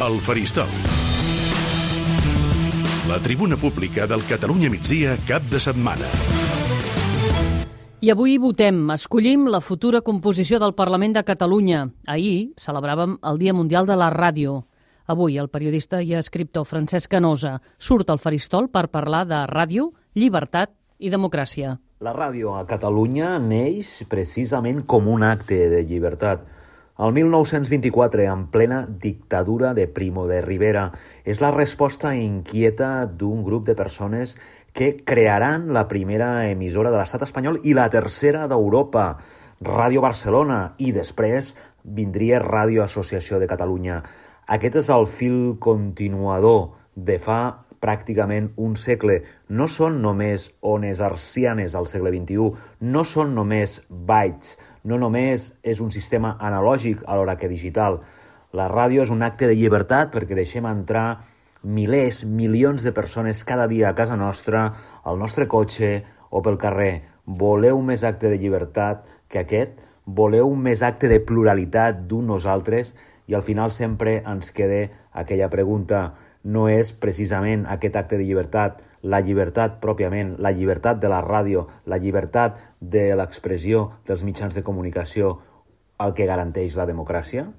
El Faristol. La tribuna pública del Catalunya Migdia cap de setmana. I avui votem, escollim la futura composició del Parlament de Catalunya. Ahir celebràvem el Dia Mundial de la Ràdio. Avui el periodista i escriptor Francesc Canosa surt al Faristol per parlar de ràdio, llibertat i democràcia. La ràdio a Catalunya neix precisament com un acte de llibertat. El 1924, en plena dictadura de Primo de Rivera, és la resposta inquieta d'un grup de persones que crearan la primera emissora de l'estat espanyol i la tercera d'Europa, Ràdio Barcelona, i després vindria Ràdio Associació de Catalunya. Aquest és el fil continuador de fa pràcticament un segle. No són només ones hertzianes al segle XXI, no són només bytes, no només és un sistema analògic alhora que digital. La ràdio és un acte de llibertat perquè deixem entrar milers, milions de persones cada dia a casa nostra, al nostre cotxe o pel carrer. Voleu més acte de llibertat que aquest? Voleu més acte de pluralitat d'un nosaltres? I al final sempre ens queda aquella pregunta: no és precisament aquest acte de llibertat, la llibertat pròpiament, la llibertat de la ràdio, la llibertat de l'expressió dels mitjans de comunicació, el que garanteix la democràcia?